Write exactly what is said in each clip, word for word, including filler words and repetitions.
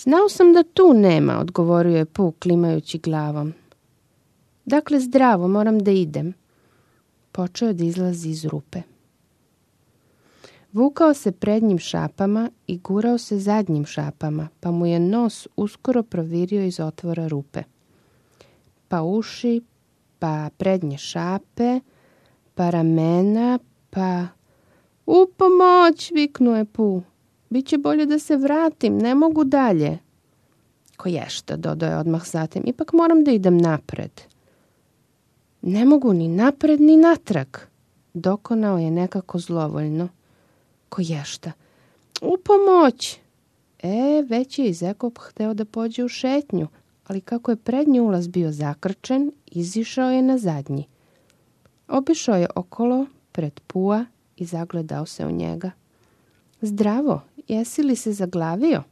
Znao sam da tu nema, odgovorio je Pu klimajući glavom. Dakle, zdravo, moram da idem. Počeo je da izlazi iz rupe. Vukao se prednjim šapama i gurao se zadnjim šapama, pa mu je nos uskoro provirio iz otvora rupe. Pa uši, pa prednje šape, pa ramena, pa... U pomoć, viknuo je Pu. Biće bolje da se vratim, ne mogu dalje. Koješta, dodao je odmah zatim, ipak moram da idem napred. Ne mogu ni napred ni natrag, dokonao je nekako zlovoljno. Koješta, u pomoć. E, već je i Zekop hteo da pođe u šetnju, ali kako je prednji ulaz bio zakrčen, izišao je na zadnji. Obišao je okolo pred Pua i zagledao se u njega. Zdravo, jesi li se zaglavio?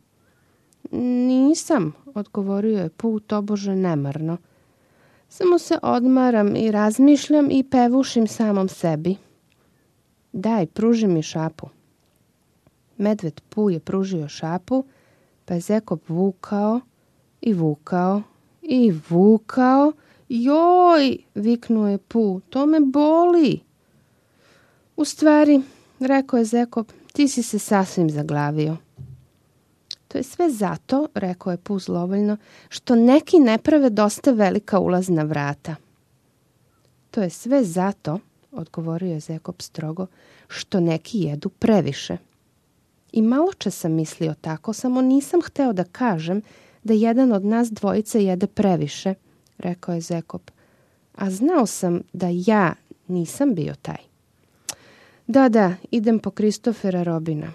Nisam, odgovorio je Pu tobože nemarno. Samo se odmaram i razmišljam i pevušim samom sebi. Daj, pruži mi šapu. Medved Pu je pružio šapu, pa je Zekop vukao i vukao i vukao. Joj, viknuo je Pu, to me boli. U stvari, rekao je Zekop, ti si se sasvim zaglavio. To je sve zato, rekao je Pu zlovoljno, što neki ne prave dosta velika ulazna vrata. To je sve zato, odgovorio je Zekop strogo, što neki jedu previše. I malo čas sam mislio tako, samo nisam hteo da kažem da jedan od nas dvojice jede previše, rekao je Zekop. A znao sam da ja nisam bio taj. Da, da, idem po Kristofera Robina.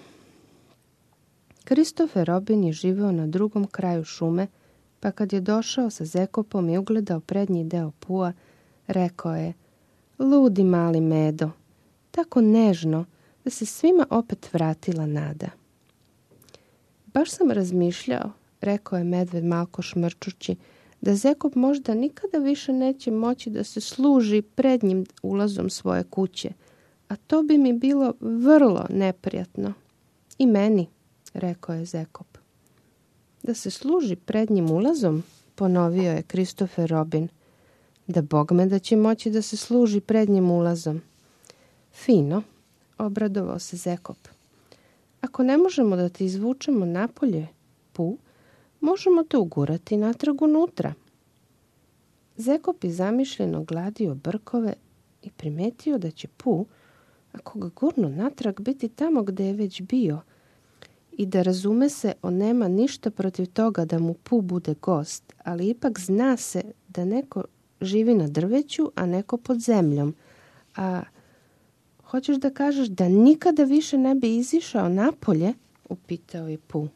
Kristofer Robin je živeo na drugom kraju šume, pa kad je došao sa Zekopom i ugledao prednji deo Pua, rekao je, ludi mali Medo, tako nežno da se svima opet vratila nada. Baš sam razmišljao, rekao je medved malko šmrčući, da Zekop možda nikada više neće moći da se služi prednjim ulazom svoje kuće, a to bi mi bilo vrlo neprijatno. I meni, rekao je Zekop. Da se služi prednjim ulazom, ponovio je Kristofer Robin. Da bogme da će moći da se služi prednjim ulazom. Fino, obradovao se Zekop. Ako ne možemo da te izvučemo napolje, Pu, možemo te ugurati natrag unutra. Zekop je zamišljeno gladio brkove i primetio da će Pu, ako ga gurnu natrag, biti tamo gde je već bio i da razume se, on nema ništa protiv toga da mu Pu bude gost, ali ipak zna se da neko živi na drveću, a neko pod zemljom. A hoćeš da kažeš da nikada više ne bi izišao napolje? Upitao je Pu.